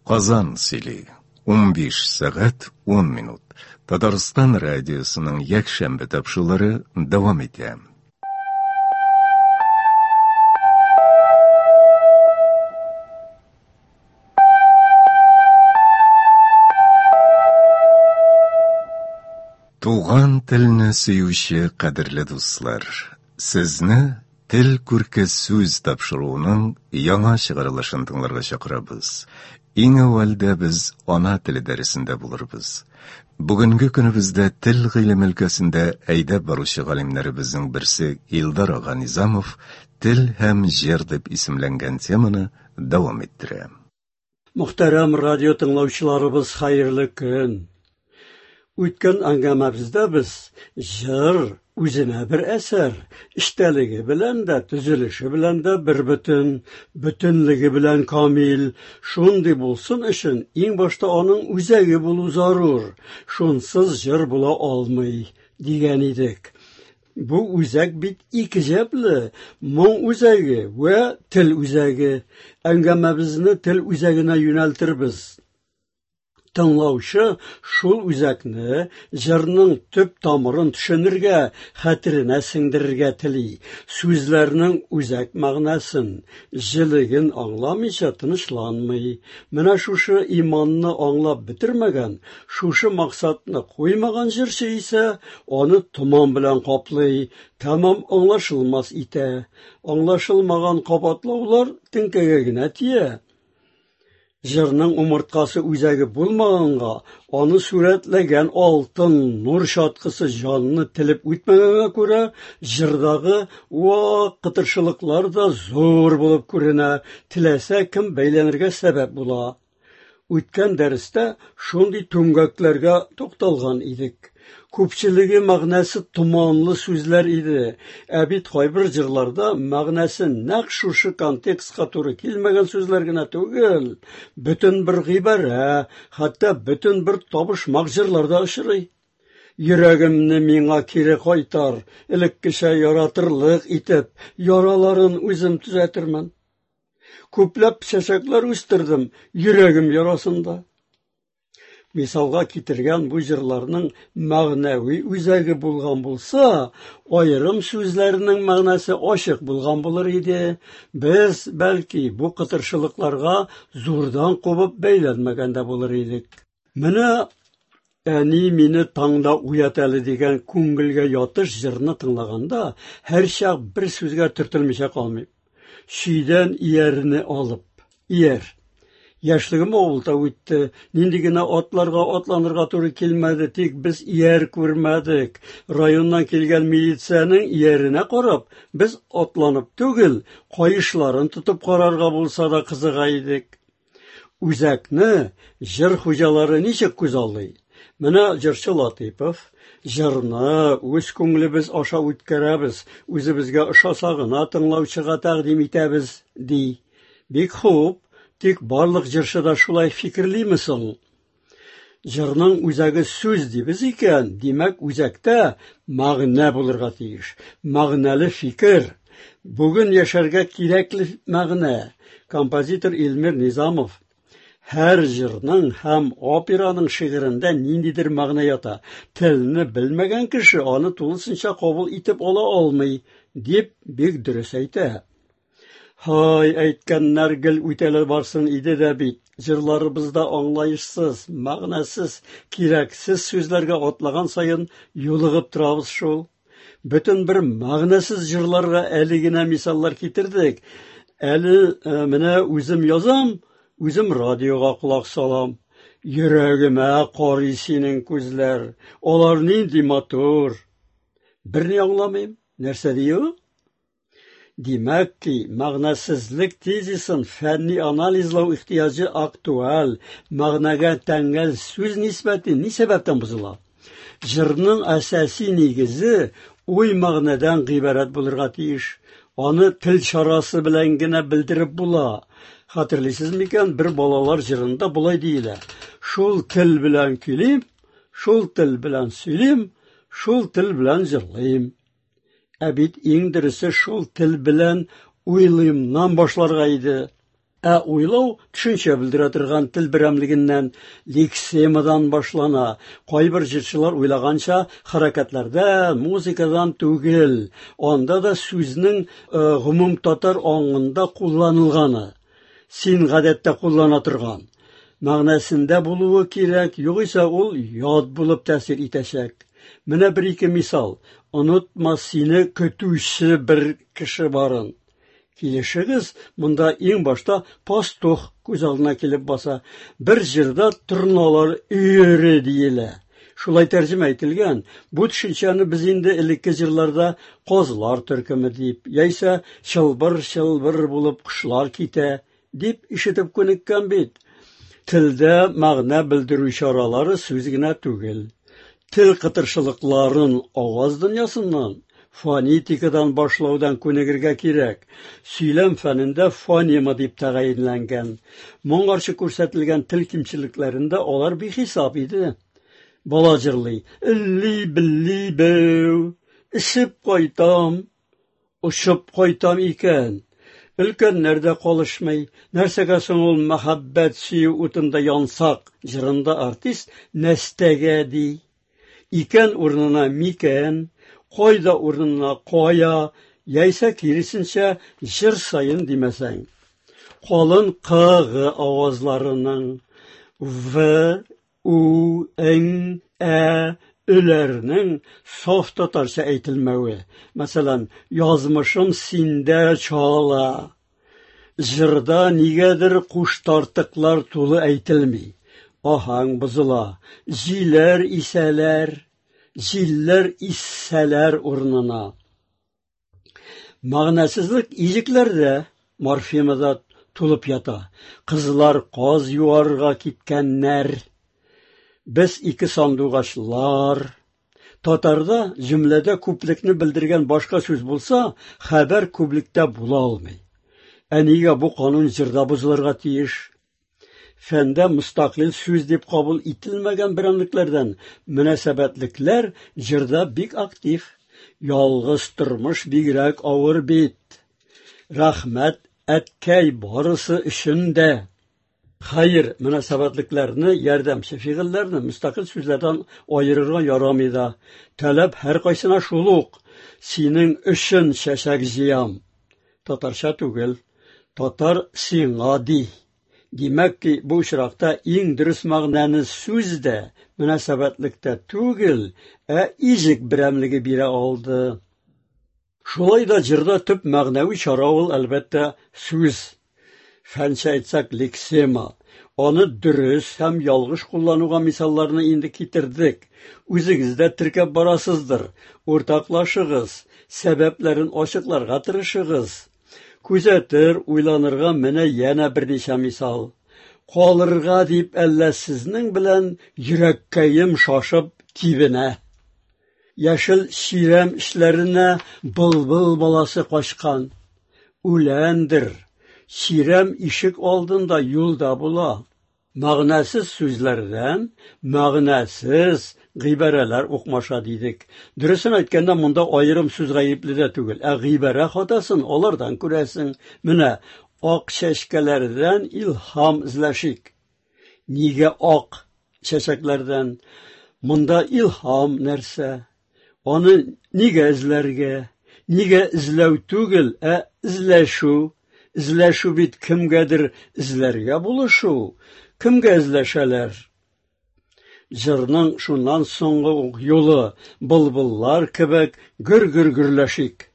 Казан сөйли. 15 сәгать 10 минут. Татарстан радиосының якшәмбе тапшырулары дәвам итә. Туган телне сөюче кадерле дуслар, сезне Тел күрке сүз тапшыруының яңа чыгарылышын тыңларга чакырабыз. Иң әүвәлдә без ана теле дәресендә булырбыз. Бүгенге көнебездә тел гыйлеме өлкәсендә әйдәп баручы галимнәребезнең берсе Илдар ага Низамов Тел һәм җыр дип исемләнгән теманы дәвам иттерә. Мөхтәрәм радио тыңлаучыларыбыз, хәерле көн! Үткән әңгәмәбездә без җыр үзенә бер әсәр, эчтәлеге белән дә, төзелеше белән дә бер бөтен, бөтенлеге белән камил. Шундый булсын өчен иң башта аның үзәге булу зарур. Шунсыз җыр була алмый, дигән идек. Бу үзәк бит икеҗәпле, моң үзәге вә тел үзәге. Әңгәмәбезне тел үзәгенә юнәлтербез. Тыңлаучы шул үзәкне, җырның төп тамырын төшенергә, хәтеренә сеңдерергә тели. Сүзләрнең үзәк мәгънәсен, җелеген аңламыйча тынычланмый. Менә шушы иманны аңлап бетермәгән, шушы максатны куймаган җырчы исә аны томан белән каплый, тәмам аңлашылмас итә. Аңлашылмаган кабатлаулар теңкәгә генә тия. Җырның умырткасы үзәге булмаганга, аны сурәтләгән алтын нур чаткысы җанны телеп үтмәгәнгә күрә, җырдагы вак кытыршылыклар да зур булып күренә, теләсә кем бәйләнергә сәбәп була. Үткән дәрестә шундый түмгәкләргә тукталган идек. Күпчелеге мәгънәсе томанлы сүзләр иде. Ә бит кайбер җырларда мәгънәсе нәкъ шушы контекстка туры килмәгән сүзләр генә түгел, бөтен бер гыйбарә, хәтта бөтен бер табышмак җырлар да очрый. Йөрәгемне миңа кире кайтар, элеккечә яратырлык итеп, яраларын үзем төзәтермен. Күпләп чәчәкләр үстердем йөрәгем ярасында. Мисалга китергән бу җырларның мәгънәви үзәге булган булса, аерым сүзләрнең мәгънәсе ачык булган булыр иде. Без, бәлки, бу кытыршылыкларга зурдан кубып бәйләнмәгән дә булыр идек. Менә Әни мине таңда уят әле дигән күңелгә ятыш җырны тыңлаганда һәрчак бер сүзгә төртелмичә калмыйм. Чөйдән иярне алып. Ияр. Яшьлегем авылда үтте. Нинди генә атларга атланырга туры килмәде, тик без ияр күрмәдек. Районнан килгән милициянең ияренә карап, без атланып түгел, каешларын тотып карарга булса да кызыга идек. Үзәкне җыр хуҗалары ничек күзаллый? Менә җырчы Латыйпов, җырны үз күңелебез аша үткәрәбез, үзебезгә ошаса гына тыңлаучыга тәкъдим итәбез, ди. Бик хуп, тик барлык җырчы да шулай фикерлиме соң? Җырның үзәге сүз дибез икән, димәк, үзәктә мәгънә булырга тиеш. Мәгънәле фикер. Бүген яшәргә кирәкле мәгънә. Композитор Илмир Низамов Һәр җырның һәм операның шигырендә ниндидер мәгънә ята. Телне белмәгән кеше аны тулысынча кабул итеп ала алмый, дип бик дөрес әйтә. Һай, әйткәннәр гел үтәлә барсын иде дә бит, җырларыбызда аңлаешсыз, мәгънәсез, кирәксез сүзләргә атлаган саен юлыгып торабыз шул. Бөтен бер мәгънәсез җырларга әле генә мисаллар китердек. Әле э, менә үзем язам, үзем радиога колак салам. Йөрәгемә карый синең күзләр, алар нинди матур. Берни аңламыйм, нәрсә ди ул? Димәк ки, мәгънәсезлек тезисын фәнни анализлау ихтыяҗы актуаль, мәгънәгә тәңгәл сүз нисбәте ни сәбәптән бозыла? Җырның әсәси нигезе уй-мәгънәдән гыйбарәт булырга тиеш. Аны тел чарасы белән генә белдереп була. Хәтерлисез микән, бер балалар җырында болай диелә: Шул тел белән көйлим, шул тел белән сөйлим, шул тел белән җырлыйм. Ә бит иң дөресе шул тел белән уйлыймнан башларга иде. Ә уйлау төшенчә белдерә торган тел берәмлегеннән, лексемадан башлана. Кайбер җырчылар уйлаганча, хәрәкәтләрдән, музыкадан түгел. Анда да сүзнең гомум татар аңында кулланылганы, син гадәттә куллана торган мәгънәсендә булуы кирәк, югыйсә ул ят булып тәэсир итәчәк. Менә бер-ике мисал. Онытма сине көтүче бер кеше барын. Килешегез, монда иң башта пастух күз алдына килеп баса. Бер җырда торналар өере диелә. Шулай тәрҗемә ителгән. Бу төшенчәне без инде элекке җырларда казлар төркеме дип, яисә чылбыр-чылбыр булып кошлар китә дип ишетеп күнеккән бит. Телдә мәгънә белдерү чаралары сүз генә түгел. Тел кытыршылыкларын аваз дөньясыннан, фонетикадан башлаудан күнегергә кирәк. Сөйләм фәнендә фонема дип тәгаенләнгән. Моңарчы күрсәтелгән тел кимчелекләрендә алар бихисап иде. Бала җырлый: "Элли-билли бәү, эчеп кайтам, очып кайтам икән". Өлкәннәр дә калышмый. Нәрсәгә соң ул мәхәббәт сөю утында янсак җырында артист нәстәгә ди. Икән урынына микән, кайда урынына кая, яисә киресенчә җыр саен димәсәң. Калын К, Г авазларының В, У, Н, Ә, Өләрнең саф татарча әйтелмәве. Мәсәлән, язмышым синдә чала. Җырда нигәдер куштартыклар тулы әйтелми. Аһәң бозыла. Җиләр исәләр, җилләр иссәләр урынына. Мәгънәсезлек иҗекләрдә, морфемада тулып ята. Кызлар каз юарга киткәннәр. Без ике сандугачлар. Татарда җөмләдә күплекне белдергән башка сүз булса, хәбәр күплектә була алмый. Ә нигә бу канун җырда бозылырга тиеш? Фәндә мөстәкыйль сүз дип кабул ителмәгән берәмлекләрдән мөнәсәбәтлекләр җырда бик актив. Ялгыз тормыш бигрәк авыр бит. Рәхмәт, әткәй, барысы өчен дә. Хәер, мөнәсәбәтлекләрне, ярдәмче фигыльләрне мөстәкыйль сүзләрдән аерырга ярамый да. Таләп һәркайсына шул ук: синең өчен чәчәк җыям. Татарча түгел. Татар сиңа ди. Димәк ки, бу очракта иң дөрес мәгънәне сүз дә, мөнәсәбәтлек тә түгел, ә иҗек берәмлеге бирә алды. Шулай да җырда төп мәгънәви чара ул, әлбәттә, сүз. Фәнчә әйтсәк, лексема. Аны дөрес һәм ялгыш куллануга мисалларны инде китердек. Үзегез дә теркәп барасыздыр. Уртаклашыгыз, сәбәпләрен ачыкларга тырышыгыз. Күзәтер, уйланырга менә янә берничә мисал. Калырга дип әллә сезнең белән йөрәккәем шашып тибенә. Яшел чирәм эчләренә былбыл баласы качкан. Үләндер. Чирәм ишек алдында юлда була. Мәгънәсез сүзләрдән мәгънәсез гыйбарәләр укмаша дидек. Дөресен әйткәндә, монда аерым сүз гаепле дә түгел, ә гыйбарә хатасын алардан күрәсең. Менә ак чәчкәләрдән илһам эзләшик. Нигә ак чәчәкләрдән? Монда илһам нәрсә? Аны нигә эзләргә? Нигә эзләү түгел, ә эзләшү? Эзләшү бит кемгәдер эзләргә булышу. Кемгә эзләшәләр? Җырның шуннан соңгы ук юлы былбыллар кебек гөр-гөр гөрләшик.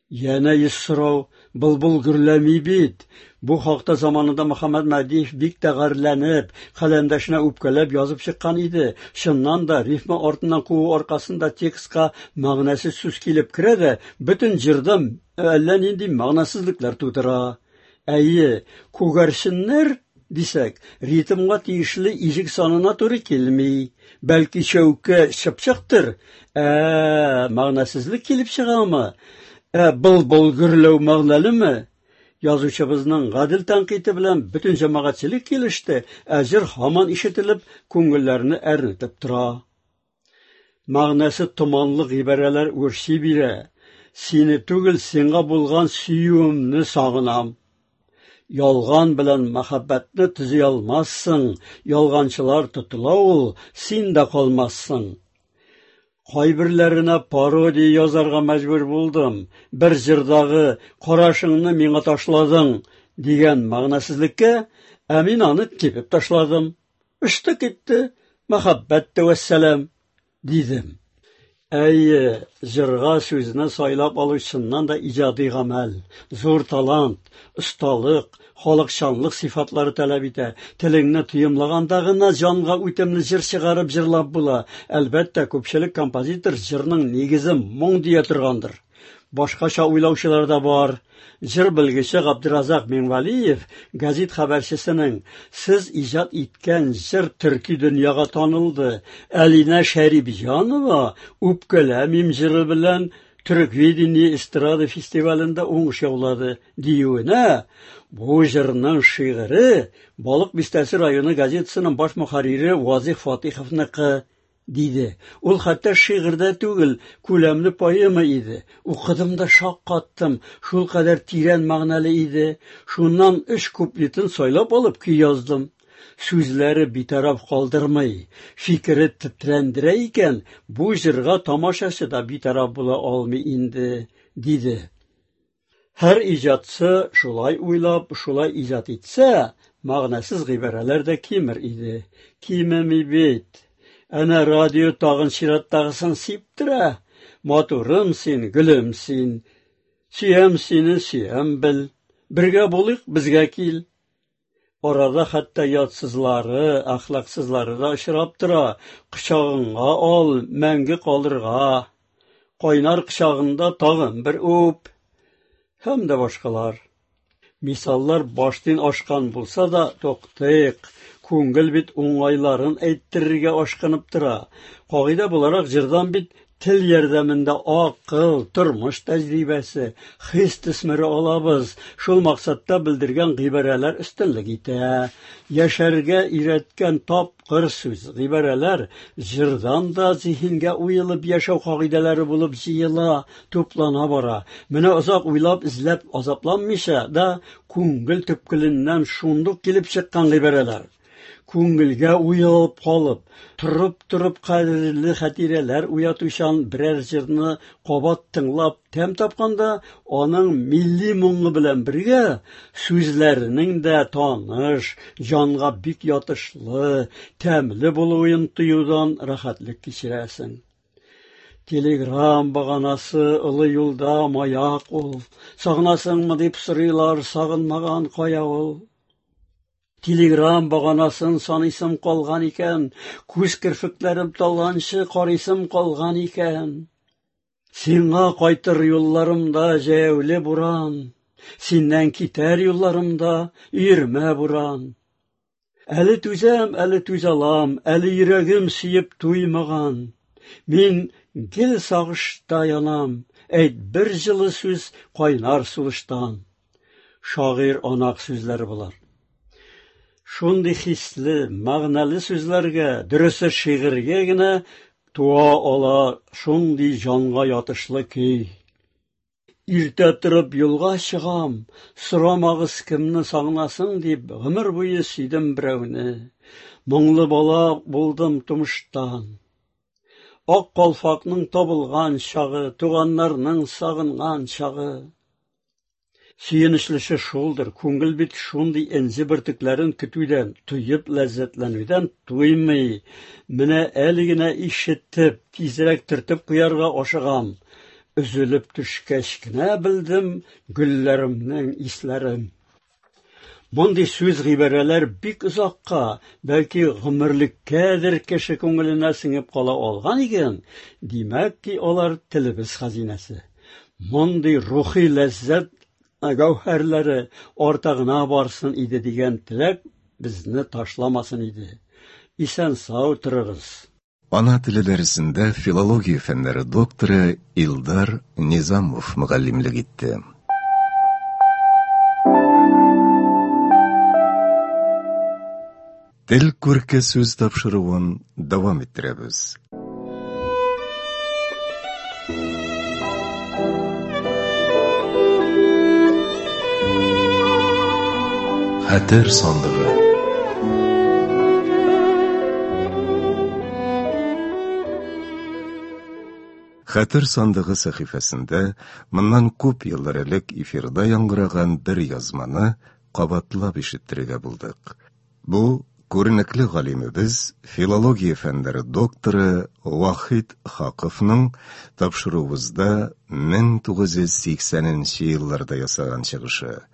Янә йөз сорау, былбыл гөрләми бит. Бу хакта заманында Мөхәммәт Мәһдиев бик тә гарьләнеп, каләмдәшенә үпкәләп язып чыккан иде. Чыннан да, рифма артыннан куу аркасында текстка мәгънәсез сүз килеп керә дә, бөтен җырда әллә нинди мәгънәсезлекләр тудыра. Әйе, күгәрченнәр дисәк, ритмга тиешле иҗек санына туры килми. Бәлки чәүкә чыпчыктыр? Ә, мәгънәсезлек килеп чыгамы? Ә былбыл гөрләү мәгънәлеме? Язучыбызның гадел тәнкыйте белән бөтен җәмәгатьчелек килеште, ә җыр һаман ишетелеп, күңелләрне әрнетеп тора. Мәгънәсе томанлы гыйбарәләр үрчи бирә. Сине түгел, сиңа булган сөюемне сагынам. Ялган белән мәхәббәтне төзи алмассың, ялганчылар тотыла ул, син дә калмассың. Кайберләренә пародия язарга мәҗбүр булдым. Бер җырдагы «Карашыңны миңа ташладың» дигән мәгънәсезлеккә, ә мин аны тибеп ташладым. Очты китте, мәхәббәт тә вәссәлам, дидем. Әйе, җырга сүзне сайлап алу чыннан да иҗади гамәл, зур талант, осталык, халыкчанлык сыйфатлары таләп итә. Телеңне тоемлаганда гына җанга үтемле җыр чыгарып җырлап була. Әлбәттә, күпчелек композитор җырның нигезе моң дия торгандыр. Башкача уйлаучылар да бар. Җыр белгече Габдеразак Миңвәлиев гәзит хәбәрчесенең «Сез иҗат иткән җыр төрки дөньяга танылды. Әлинә Шәрипҗанова «Үпкәләмим» җыры белән Төрквидение эстрада фестивалендә уңыш яулады» диюенә, бу җырның шигыре Балык Бистәсе районы газетасының баш мөхәррире Вазих Фатиховныкы, диде. Ул хәтта шигырь дә түгел, күләмле поэма иде. Укыдым да шаккаттым, шулкадәр тирән мәгънәле иде. Шуннан өч куплетын сайлап алып көй яздым. Сүзләре битараф калдырмый, фикере тетрәндерә икән, бу җырга тамашачы да битараф була алмый инде, диде. Һәр иҗатчы шулай уйлап, шулай иҗат итсә, мәгънәсез гыйбарәләр дә кимер иде. Кимеми бит. Әнә радио тагын чираттагысын сиптерә. Матурым син, гөлем син. Сөям сине, сөям бел. Бергә булыйк, безгә кил. Арада хәтта ятсызлары, әхлаксызлары да очрап тора. Кочагыңа ал, мәңге калырга. Кайнар кочагыңда тагын бер үп. Һәм дә башкалар. Мисаллар баштин ашкан булса да, туктыйк. Күңел бит уңайларын әйттерергә ашкынып тора. Кагыйдә буларак җырдан бит тел ярдәмендә акыл, тормыш тәҗрибәсе, хис төсмере алабыз. Шул максатта белдергән гыйбарәләр өстенлек итә. Яшәргә өйрәткән тапкыр сүз, гыйбарәләр җырдан да зиһенгә уелып яшәү кагыйдәләре булып җыела, туплана бара. Менә озак уйлап, эзләп азапланмыйча да күңел төпкеленнән шундук килеп чыккан гыйбарәләр. Күңелгә уелып калып, торып-торып кадерле хатирәләр уятучан берәр җырны кабат тыңлап тәм тапканда, аның милли моңы белән бергә сүзләренең дә таныш, җанга бик ятышлы, тәмле булуын тоюдан рәхәтлек кичерәсең. Телеграм баганасы олы юлда маяк ул. Сагынасыңмы дип сорыйлар, сагынмаган кая ул? Телеграм баганасын саныйсым калган икән, күз керфекләрем талганчы карыйсым калган икән. Сиңа кайтыр юлларымда җәяүле буран, синнән китәр юлларымда өермә буран. Әле түзәм, әле түзә алам, әле йөрәгем сөеп туймаган. Мин гел сагышта янам, әйт бер җылы сүз кайнар сулыштан. Шагыйрь анак сүзләре болар. Шундый хисле, мәгънәле сүзләргә, дөресе шигырьгә генә туа ала шундый җанга ятышлы көй. Иртә торып юлга чыгам, сорамагыз кемне сагынасың дип, гомер буе сөйдем берәүне. Моңлы бала булдым тумыштан. Ак калфакның табылган чагы, туганнарның сагынган чагы. Сөенечлесе шулдыр, күңел бит шундый энҗе бөртекләрен көтүдән, тоеп ләззәтләнүдән туймый. Менә әле генә ишетеп, тизрәк төртеп куярга ашыгам. Өзелеп төшкәч кенә белдем гөлләремнең исләрен. Мондый сүз-гыйбарәләр бик озакка, бәлки гомерлеккәдер кеше күңеленә сеңеп кала алган икән, димәк ки, алар телебез хәзинәсе. Мондый рухи ләззәт гәүһәрләре арта гына барсын иде дигән теләк безне ташламасын иде. Исән-сау торыгыз. Ана теле дәресендә филология фәннәре докторы Илдар Низамов мөгаллимлек итте. Тел күрке сүз тапшыруын дәвам иттерәбез. Хәтер сандыгы. Хәтер сандыгы сәхифәсендә моннан күп еллар элек эфирда яңгыраган бер язманы кабатлап ишеттерергә булдык. Бу күренекле галимебез, филология фәннәре докторы Вахит Хаковның тапшыруыбызда 1980 нче елларда ясаган чыгышы.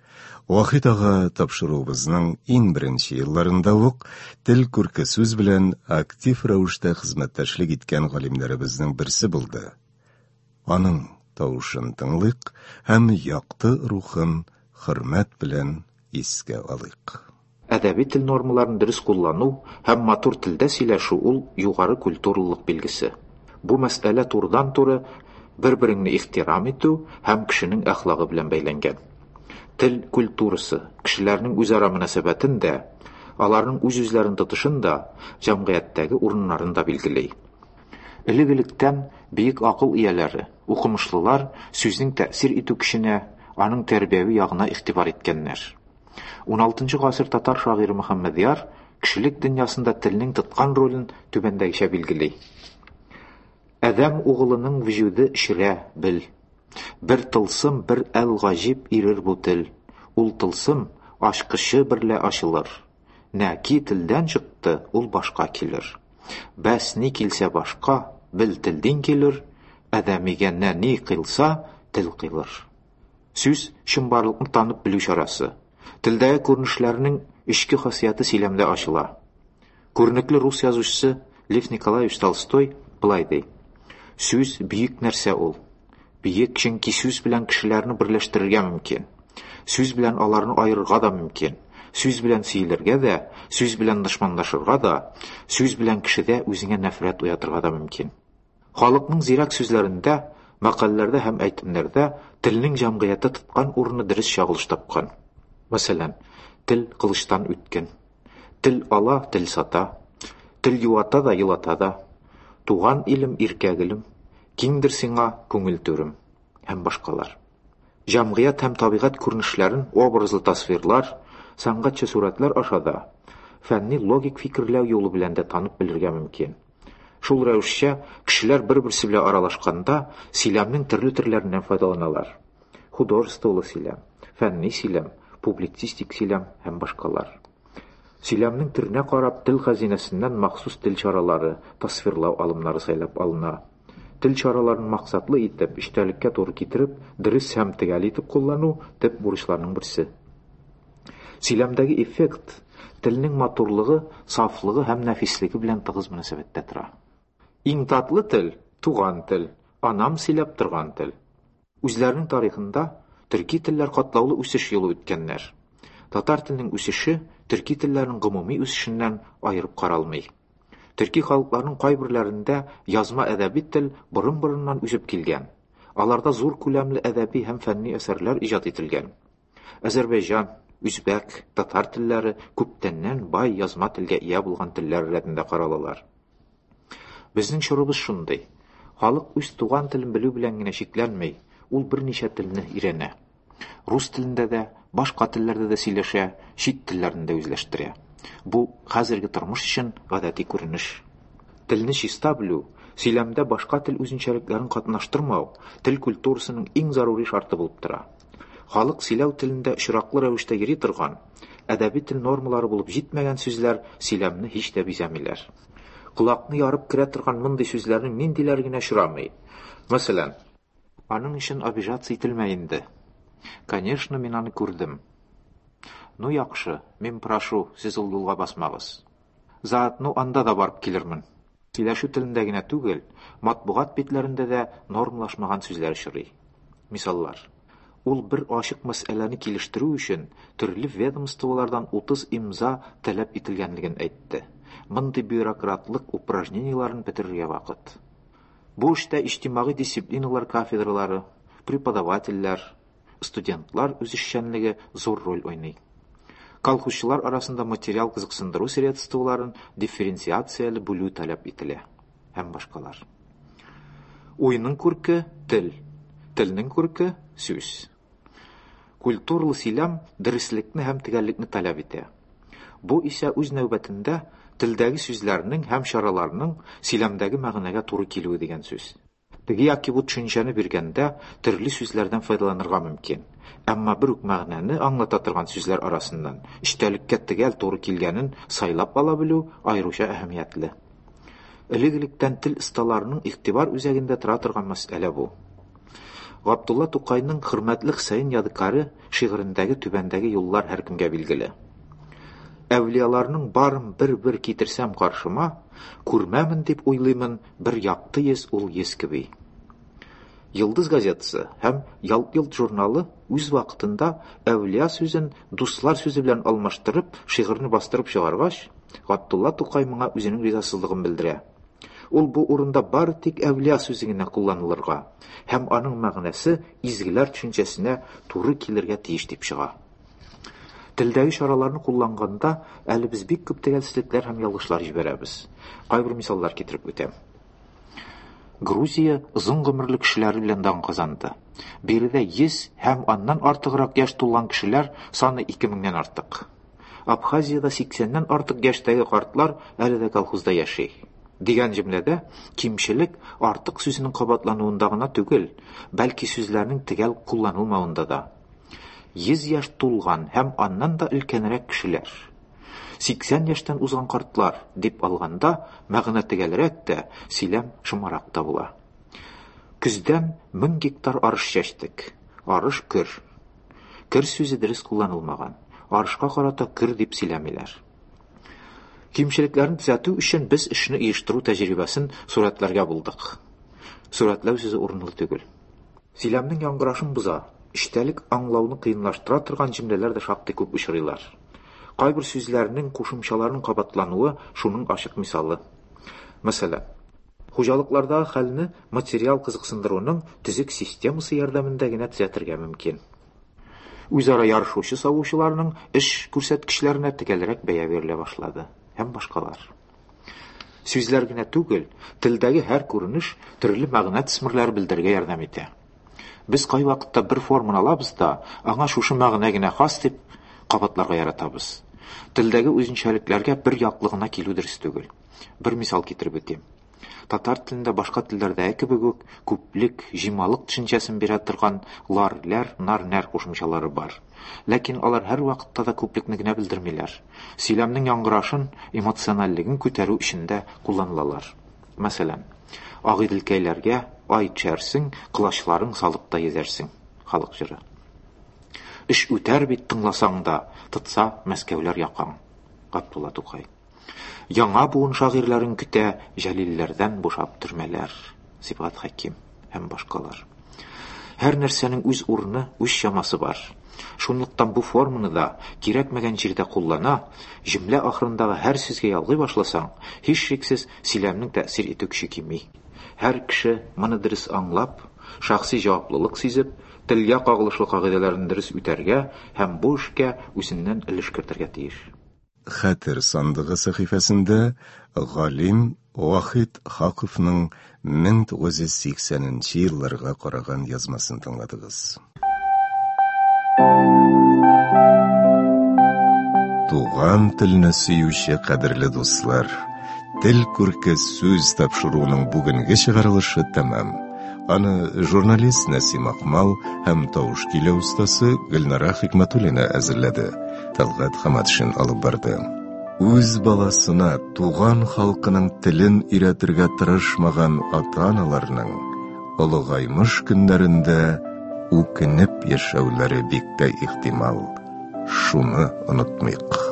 Вахит ага тапшыруыбызның иң беренче елларында ук тел күрке сүз белән актив рәвештә хезмәттәшлек иткән галимнәребезнең берсе булды. Аның тавышын тыңлыйк һәм якты рухын хөрмәт белән искә алыйк. Әдәби тел нормаларын дөрес куллану һәм матур телдә сөйләшү ул югары культуралылык билгесе. Бу мәсьәлә турыдан-туры бер-береңне ихтирам итү һәм кешенең әхлагы белән бәйләнгән. Тел культурасы кешеләрнең үзара мөнәсәбәтен дә, аларның үз-үзләрен тотышын да, җәмгыятьтәге урыннарын да билгели. Элек-электән бөек акыл ияләре, укымышлылар сүзнең тәэсир итү көченә, аның тәрбияви ягына игътибар иткәннәр. Уналтынчы гасыр татар шагыйре Мөхәммәдьяр кешелек дөньясында телнең тоткан ролен түбәндәгечә билгели. Адәм угылының вөҗүде эчрә, бел. Бер тылсым, бер әл-гаҗиб ирер бу тел. Ул тылсым ачкычы берлә ачылыр. Нәки телдән чыкты, ул башка килер. Бәс ни килсә башка, бел телдин килер, адәмигә нә ни кыйлса, тел кыйлыр. Сүз, чынбарлыкны танып белү чарасы. Телдәге күренешләрнең эчке хасияте сөйләмдә ачыла. Күренекле рус язучысы Лев Николаевич Толстой болай ди: Сүз бөек нәрсә ул. Бөек, чөнки сүз белән кешеләрне берләштерергә мөмкин. Сүз белән аларны аерырга да мөмкин. Сүз белән сөелергә дә, сүз белән дошманлашырга да, сүз белән кешедә үзеңә нәфрәт уятырга да мөмкин. Халыкның зирәк сүзләрендә, мәкальләрдә һәм әйтемнәрдә телнең җәмгыятьтә тоткан урыны дөрес чагылыш тапкан. Мәсәлән, тел кылычтан үткен. Тел ала, тел сата. Тел юата да, елата да. Туган илем, иркә гөлем, киңдер сиңа күңел түрем һәм башкалар. Җәмгыять һәм табигать күренешләрен образлы тасвирлар, сәнгатьчә сурәтләр аша да, фәнни логик фикерләү юлы белән дә танып белергә мөмкин. Шул рәвешчә, кешеләр бер-берсе белән аралашканда сөйләмнең төрле төрләреннән файдаланалар. Художестволы сөйләм, фәнни сөйләм, публицистик сөйләм һәм башкалар. Сөйләмнең төренә карап, тел хәзинәсеннән махсус тел чаралары, тасвирлау алымнары сайлап алына. Тел чараларын максатлы итеп, эчтәлеккә туры китереп, дөрес һәм төгәл итеп куллану төп бурычларның берсе. Сөйләмдәге эффект телнең матурлыгы, сафлыгы һәм нәфислеге белән тыгыз мөнәсәбәттә тора. Иң татлы тел, туган тел, анам сөйләп торган тел. Үзләренең тарихында төрки телләр катлаулы үсеш юлы үткәннәр. Татар теленең үсеше төрки телләрнең гомуми үсешеннән аерып каралмый. Төрки халыкларның кайберләрендә язма әдәби тел борын-борыннан үсеп килгән. Аларда зур күләмле әдәби һәм фәнни әсәрләр иҗат ителгән. Азәрбайҗан, үзбәк, татар телләре күптәннән бай язма телгә ия булган телләр рәтендә каралалар. Безнең чорыбыз шундый. Халык үз туган телен белү белән генә чикләнми, ул берничә телне өйрәнә. Рус телендә дә, башка телләрдә дә сөйләшә, чит телләрне дә үзләштерә. Бу хәзерге тормыш өчен гадәти күренеш. Телне чиста белү, сөйләмдә башка тел үзенчәлекләрен катнаштырмау тел культурасының иң зарури шарты булып тора. Халык сөйләү телендә очраклы рәвештә йөри торган, әдәби тел нормалары булып җитмәгән сүзләр сөйләмне һич тә бизәмиләр. Колакны ярып керә торган мондый сүзләрнең ниндиләре генә очрамый. Мәсәлән, Аның өчен обижаться ителмә инде. Конечно, мин аны күрдем. Ну, яхшы, мин прошу, сез ул юлга басмагыз. Заодно анда да барып килермен. Сөйләшү телендә генә түгел, матбугат битләрендә дә нормалашмаган сүзләр очрый. Мисаллар. Ул бер ачык мәсьәләне килештерү өчен төрле ведомстволардан 30 имза таләп ителгәнлеген әйтте. Мондый бюрократлык упражнениеләрен бетерергә вакыт. Бу эштә иҗтимагый дисциплиналар кафедралары, преподавательләр, студентлар үзешчәнлеге зур роль уйный. Колхозчылар арасында материал кызыксындыру средстволарын дифференциацияле бүлү таләп ителә һәм башкалар. Уйның күрке – тел, телнең күрке – сүз. Культуралы сөйләм дөреслекне һәм төгәллекне таләп итә. Бу исә үз нәүбәтендә телдәге сүзләрнең һәм чараларның сөйләмдәге мәгънәгә туры килүе дигән сүз. Теге яки бу төшенчәне биргәндә төрле сүзләрдән файдаланырга мөмкин. Әмма бер үк мәгънәне аңлата торган сүзләр арасыннан эчтәлеккә төгәл туры килгәнен сайлап ала белү аеруча әһәмиятле. Элек-электән тел осталарының игътибар үзәгендә тора торган мәсьәлә бу. Габдулла Тукайның Хөрмәтле Хөсәен ядыкаре шигырендәге түбәндәге юллар һәркемгә билгеле. Әүлияларның барын бер-бер китерсәм каршыма, күрмәмен дип уйлыймын бер якты йөз ул йөз кеби. Йолдыз газетасы һәм Ялт-йолт журналы үз вакытында әүлия сүзен дуслар сүзе белән алмаштырып, шигырьне бастырып чыгаргач, Габдулла Тукай моңа үзенең ризасызлыгын белдерә. Ул бу урында бары тик әүлия сүзе генә кулланылырга һәм аның мәгънәсе изгеләр төшенчәсенә туры килергә тиеш дип чыга. Телдәге чараларны кулланганда әле без бик күп төгәлсезлекләр һәм ялгышлар җибәрәбез. Кайбер мисаллар китереп үтәм. Грузия озын гомерле кешеләре белән дан казанды. Биредә 100 һәм аннан артыграк яшь тулган кешеләр саны 2000-нән артык. Абхазиядә 80-нән артык яшьтәге картлар әле дә колхозда яши. Дигән җөмләдә кимчелек артык сүзенең кабатлануында гына түгел, бәлки сүзләрнең төгәл кулланылмавында да. 100 яшь тулган һәм аннан да өлкәнрәк кешеләр. 80 яшьтән узган картлар дип алганда, мәгънә төгәлрәк тә, сөйләм шомарак та була. Көздән 1000 гектар арыш чәчтек. Арыш көр. Көр сүзе дөрес кулланылмаган. Арышка карата көр дип сөйләмиләр. Кимчелекләрне төзәтү өчен без эшне оештыру тәҗрибәсен сурәтләргә булдык. Сурәтләү сүзе урынлы түгел. Сөйләмнең яңгырашын боза, эчтәлек аңлауны кыенлаштыра торган җөмләләр дә шактый күп очрыйлар. Кайбер сүзләрнең, кушымчаларның кабатлануы шуның ачык мисалы. Мәсәлән, хуҗалыклардагы хәлне материал кызыксындыруның төзек системасы ярдәмендә генә төзәтергә мөмкин. Үзара ярышучы савучыларның эш күрсәткечләренә төгәлрәк бәя бирелә башлады һәм башкалар. Сүзләр генә түгел, телдәге һәр күренеш төрле мәгънә төсмерләре белдерергә ярдәм итә. Без кайвакытта бер форманы алабыз да, аңа шушы мәгънә генә хас дип кабатларга яратабыз. Телдәге үзенчәлекләргә бер яклы гына килү дөрес түгел. Бер мисал китереп үтим. Татар телендә башка телләрдәге кебек үк күплек, җыймалык төшенчәсен бирә торган лар, ләр, нар, нәр кушымчалары бар. Ләкин алар һәрвакытта да күплекне генә белдермиләр. Сөйләмнең яңгырашын, эмоциональлеген күтәрү өчен дә кулланылалар. Мәсәлән, Агыйделкәйләргә ай төшәрсең, колачларың салып та йөзәрсең. Халык җыры. Эш үтәр бит тыңласаң да, тотса Мәскәүләр якаң. Габдулла Тукай. Яңа буын шагыйрьләрен көтә Җәлилләрдән бушап төрмәләр. Сибгат Хәким һәм башкалар. Һәр нәрсәнең үз урыны, үз чамасы бар. Шунлыктан бу форманы да кирәкмәгән җирдә куллана, җөмлә ахырындагы һәр сүзгә ялгый башласаң, һичшиксез сөйләмнең тәэсир итү көче кими. Һәр кеше моны дөрес аңлап, шәхси җаваплылык сизеп, телгә кагылышлы кагыйдәләрне дөрес үтәргә һәм бу эшкә үзеннән өлеш кертергә тиеш. Хәтер сандыгы сәхифәсендә галим Вахит Хаковның 1980 нче елларга караган язмасын тыңладыгыз. Туган телне сөюче кадерле дуслар, Тел күрке сүз тапшыруының бүгенге чыгарылышы тәмам. Аны журналист Нәсим Акмал һәм тавыш көйләү остасы Гөлнара Хикмәтуллина әзерләде. Талгат Хаматшин алып барды. Үз баласына туган халкының телен өйрәтергә тырышмаган ата-аналарның олыгаймыш көннәрендә үкенеп яшәүләре бик тә ихтимал. Шуны онытмыйк.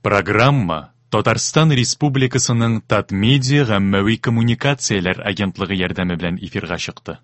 Программа Татарстан Республикасының Татмедиа гаммәви коммуникацияләр агентлыгы ярдәме белән эфирга чыкты.